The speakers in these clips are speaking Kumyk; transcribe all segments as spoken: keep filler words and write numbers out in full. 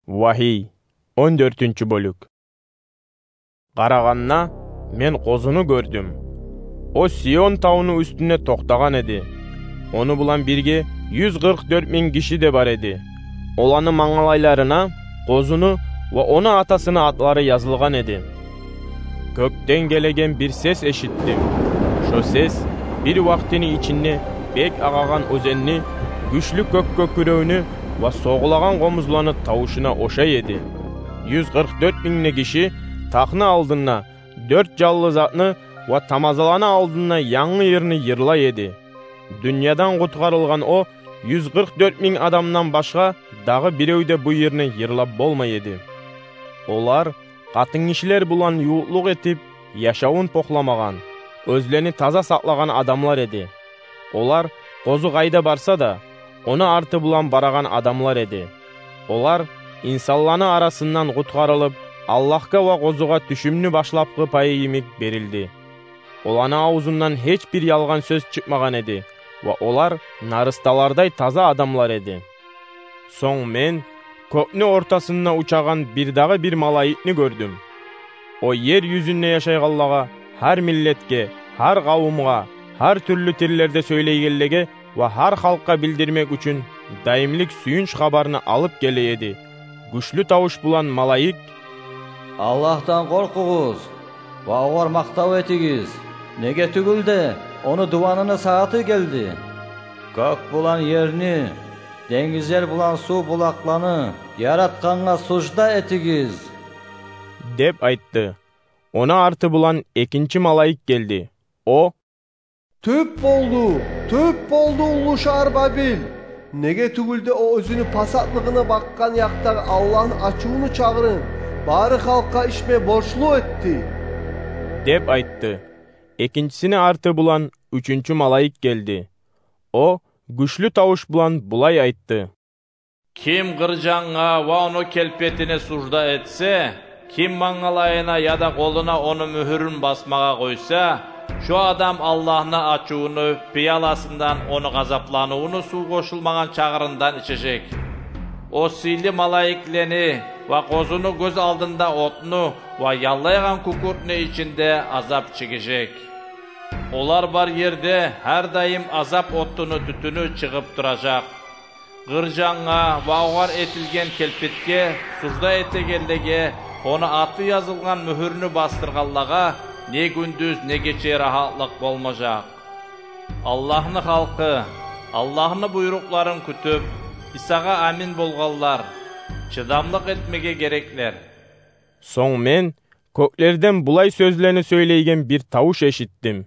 Вагьий, он дёртюнчю бёлюк. Къарагъанда, мен къозуну гёрдюм. О Сион тавну уьстюнде токътагъан эди. Ону булан бирге юз къыркъ дёрт минг гиши де бар эди. Оланы мангалайларына къозуну ва ону атасыны атлары язылгъан эди. Кёкден гелеген бир сес эшитдим. Шо сес бир вакътини ичинде бек агъагъан оьзенни, гючлю кёк кёкюревню ва согъулагъан къомузланы тавушуна ошай эди. Юз къыркъ дёрт минг де гиши тахны алдында, дёрт жанлы затны ва тамазаланы алдында янгы йырны йырлай эди. Дюньядан къутгъарылгъан о юз къыркъ дёрт минг адамдан башгъа дагъы бирев де бу йырны йырлап болмай эди. Олар къатынгишилер булан ювукълукъ этип яшавун похламагъан, оьзлени таза сакълагъан адамлар эди. Олар къозу къайда барса да, ону арты булан барагъан адамлар эди. Олар инсанланы арасындан къутгъарылып, Аллагьгъа ва къозугъа тюшюмню башлапгъы пайы йимик берилди. Оланы авзундан гьеч бир ялгъан сёз чыкъмагъан эди ва олар нарысталардай таза адамлар эди. Сонг мен кёкню ортасында учагъан бир дагъы бир малайикни гёрдюм. О ер юзюнде яшайгъанлагъа, гьар миллетге, гьар къавумгъа, гьар тюрлю тиллерде сёйлейгенлеге ва гьар халкъгъа билдирмек учун дайымлыкъ сююнч хабарны алып геле эди. Гючлю тавуш булан малайик: «Аллагьдан къоркъугъуз ва огъар макътав этигиз, неге тюгюл де ону дуванны сагьаты гелди. Кёк булан ерни, денгизлер булан сув булакъланы яратгъангъа сужда этигиз», — деп айтды. Ону арты булан экинчи малайик гелди. О: «Тёп болду, тёп болду уллу шагьар Бабил! Неге тюгюл де о оьзюню пасатлыгъына бакъгъан якъдагъы Аллагьны ачувуну чагъырын бары халкъгъа ичме борчлу этди», — деп айтды. Экинчисини арты булан уьчюнчю малайик гелди. О гючлю тавуш булан булай айтды: «Ким къыржангъа ва ону келпетине сужда этсе, ким мангалайына яда къолуна ону мюгьюрюн басмагъа къойса, шо адам Аллагьны ачувуну пияласындан, ону гъазапланывуну сув къошулмагъан чагъырындан ичежек. О сыйлы малайиклени ва къозуну гёз алдында отну ва яллайгъан кюкюртню ичинде азап чегежек. Олар бар ерде гьар дайым азап отуну тютюню чыгъып туражакъ. Къыржангъа ва огъар этилген келпетге сужда этегенлеге, ону аты язылгъан мюгьюрню басдыргъанлагъа не гюндюз, не гече рагьатлыкъ болмажакъ. Аллагьны халкъы, Аллагьны буйрукъларын кютюп, Исагъа амин болгъанлар, чыдамлыкъ этмеге гереклер». Сонг мен кёклерден булай сёзлени сёйлейген бир тавуш эшитдим: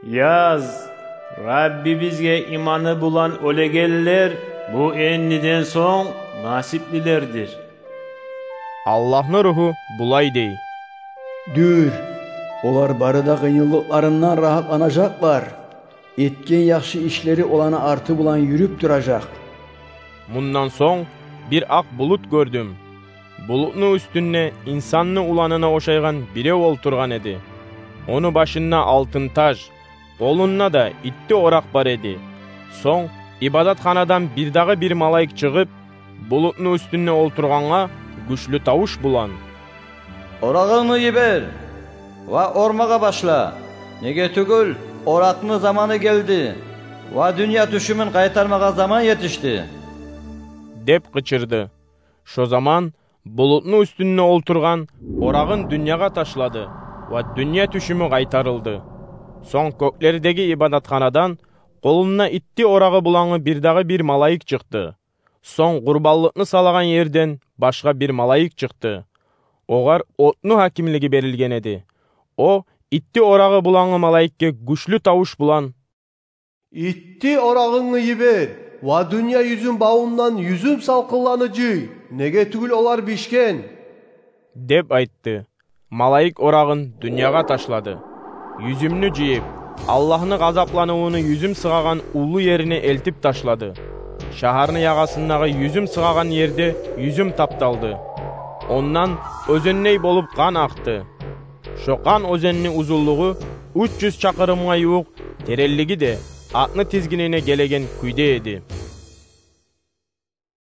«Яз, Раббибизге иманы булан оьлегенлер бу эндиден сонг насиплилердир». Аллагьны Ругьу булай дей: «Дюр, олар бары да къыйынлыкъларындан рагьатланажакълар. Этген яхшы ишлери оланы арты булан юрюп туражакъ». Мундан сонг бир акъ булут гёрдюм. Булутну уьстюнде инсанны уланына ошайгъан бирев олтургъан эди. Ону башында алтын таж, къолунда да итти оракъ бар эди. Сонг ибадатханадан бир дагъы бир малайик чыгъып, булутну уьстюнде олтургъангъа гючлю тавуш булан: «Орагъынгны йибер ва ормагъа башла. Неге тюгюл, оракъны заманы гелди ва дюнья тюшюмюн къайтармагъа заман етишди», — деп къычырды. Шо заман булутну уьстюнде олтургъан орагъын дюньягъа ташлады ва дюнья тюшюмю къайтарылды. Сонг кёклердеги ибадатханадан къолунда итти орагъы булангъы бир дагъы бир малайик чыкъды. Сонг къурбанлыкъны салагъан ерден башгъа бир малайик чыкъды. Огъар отну гьакимлиги берилген эди. О итти орагъы булангъы малайикге гючлю тавуш булан: «Итти орагъынгны йибер ва дюнья юзюн бавундан юзюм салкъынланы жый, неге тюгюл олар бишген», — деп айтды. Малайик орагъын дюньягъа ташлады. Юзюмню жыйып, Аллагьны гъазапланывуну юзюм сыгъагъан уллу ерине элтип ташлады. Шагьарны ягъасындагъы юзюм сыгъагъан ерде юзюм тапталды. Ондан оьзендей болуп къан акъды. Шо къан оьзенни узунлугъу уьч юз чакъырымгъа ювукъ, теренлиги де атны тизгинине гелеген кюйде эди.